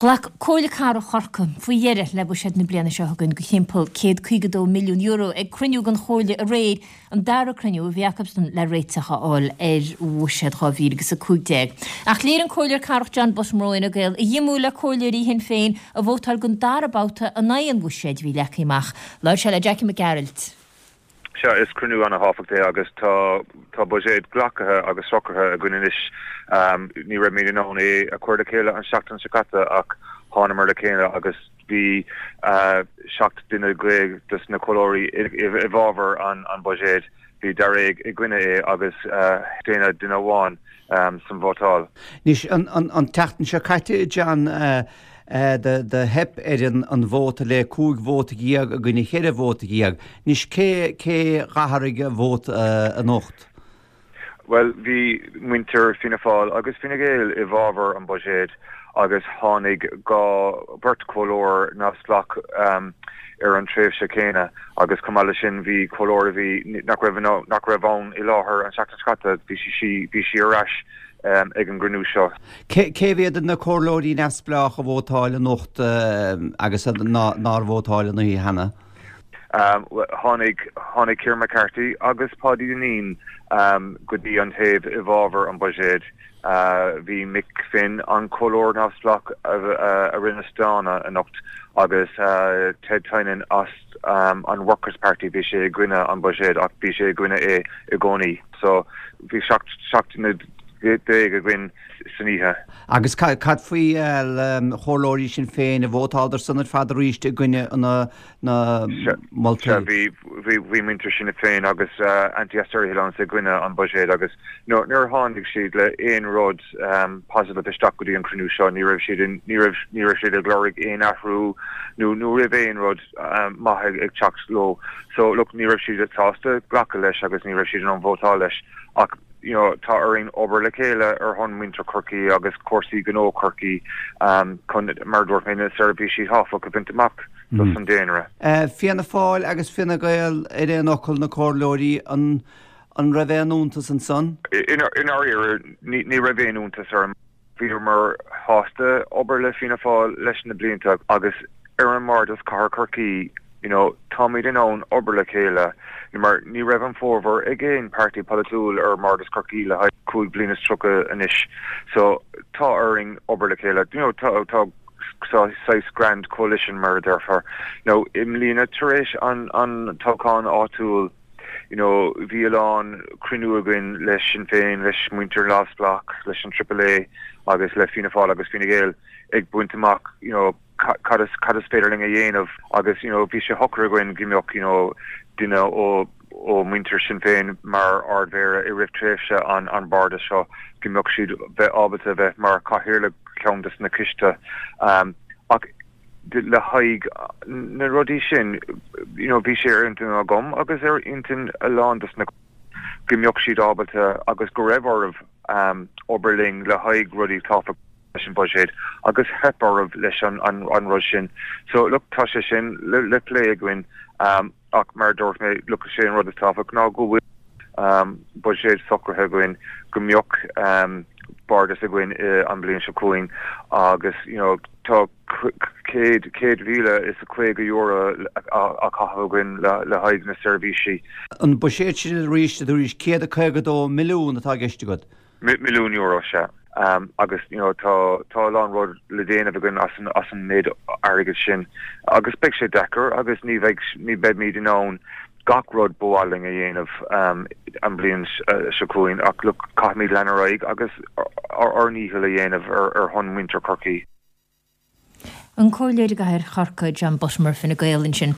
Ghlac Comhairle Cathrach Chorcaí faoi dheireadh le buiséad na bliana seo chugainn de thimpeall €152 milliún ag cruinniú den Chomhairle aréir, an dara cruinniú a bhí acusan le réiteach a fháil ar bhuiséad 2015. Ach léirigh an Comhairleoir Cathrach John Buttimer ó Fhine Gael a dhíomá le comhairleoirí Shinn Féin a vótáil don dara babhta in aghaidh an bhuiséid a bhí leagtha amach. Labhair sé le Jackie Mac Gearailt. Sea, is cruinniú ana-thábhachtach é agus tá tá buiséad glactha agus socraithe againn anois. Ní raibh muid in ann é a chur le chéile an seachtain seo caite ach thánamar le chéile agus bhí 17 duine dos na comhairleoirí i bhfabhar an buiséid. Bhí daréag i gcoinne é agus staonadh duine amháin san vótáil. Anois, an tseachtain seo caite, John, do theip ar an vóta le 15 vóta i gcoinne 14 vóta. Anois, cé cé d'athraigh a vóta anocht? Bhuel, bhí muintir Fianna Fáil agus Fine Gael i bhfabhar an buiséid agus tháinig 2 beirt chomhairleoir neamhspleách ar an tréimhse céanna agus chomh maith leis sin bhí comhairleoir a bhí nach raibh nach raibh ann i láthair an tseachtain seo caite, bhí sí bhí sí ar ais ag an gcruinniú seo. Cé mhéad de na comhairleoirí neamhspleách a vótáil anocht agus nár vótáil an oíche cheana? Tháinig tháinig Kieran McCarthy agus Paudie Dineen go dtí an taobh i bhfabhar an buiséid. Bhí Mick Finn, an comhairleoir neamhspleách a rinne staonadh anocht agus Ted Tynan as an Workers Party, bhí sé i gcoinne an buiséid ach bhí sé i gcoinne é i gcónaí. So bhí 17 duine againn san oíche. Agus cad faoi chomhairleoirí Sinn Féin, ar vótáladar san ar fad arís i gcoinne na na moltaí. Sea, bhí, bhí, bhí muintir Shinn Féin agus Anti Austerity Alliance i gcoinne an buiséid agus nuair a tháinig siad le aon rud positive isteach go dtí an cruinniú seo, ní raibh siad in, ní raibh, ní raibh siad ag lorg aon athrú nó ní raibh aon rud maith ag, ag teacht leo. So, look, ní raibh siad sásta glacadh leis agus ní raibh siad in ann vótáil leis ach, you know, tá orainn obair le chéile ar shon muintir Chorcaí agus cúrsaí gnó Chorcaí chun, mar a dúirt mé, na seirbhísí tábhachtach a bhaint amach dos an daonra. Fianna Fáil agus Fine Gael ar aon fhocal, na comhairleoirí, an an raibh aon iontas ansan? I ndáiríre, ní raibh aon iontas orm. Bhíomar sásta obair le Fianna Fáil leis na blianta agus ar an mBardas Cathair Chorcaí, you know, táimid in ann obair le chéile mar ní raibh an formhór ag aon páirtí polaitiúil ar mBardas Chorcaí le haghaidh 35 bliana anois. So tá orainn obair le chéile. You know, tá, tá saghas grand coalition mar a déarfá. Now i mbliana tar éis an, an toghchán áitiúil, you know, bhí a lán cruinniú againn le Sinn Féin, leis muintir Neamhspleách, leis an Triple A agus le Fianna Fáil agus Fine Gael ag baint amach, you know, cad is, cad is féidir linn a dhéanamh agus, you know, bhí sé shocair againn go mbeadh, you know, duine ó, ó muintir Sinn Féin mar Ard-Mhéara i rith tréimhse an, an Bhardais seo, go mbeadh siad bheith ábalta bheith mar chathaoirleach ceann des na coiste. Um, ach le haghaidh na rudaí sin, you know, bhí sé ar intinn agam agus ar intinn a lán des na go mbeadh siad ábalta agus go raibh orthu um, obair linn le haghaidh rudaí tábhachtach leis an buiséad agus theip orthu leis an, an, an rud sin. So look, tá sé sin le, le plé againn um, ach mar a dúirt mé, look, sé an rud is tábhachtach ná go bhfuil um, buiséad socraithe againn go mbeadh um, bardas againn an bhliain seo chugainn agus you know, tá €100,050 á chaitheamh againn le haghaidh na seirbhísí. An buiséad sin arís, arís 152 milliún atá i gceist agat? Milliún euro, sea. Agus you know tá tá a lán rud le déanamh againn as an as an méid airgid sin agus beidh sé deacair agus ní bheidh ní beimid in ann gach rud ba mhaith linn a dhéanamh an bhliain seo chugainn ach look caithfimid lean ar aghaidh agus ár ndícheall a dhéanamh ar ar shon muintir Chorcaí. An Comhairleoir i gCathair Chorcaí, John Buttimer, Fine Gael ansin.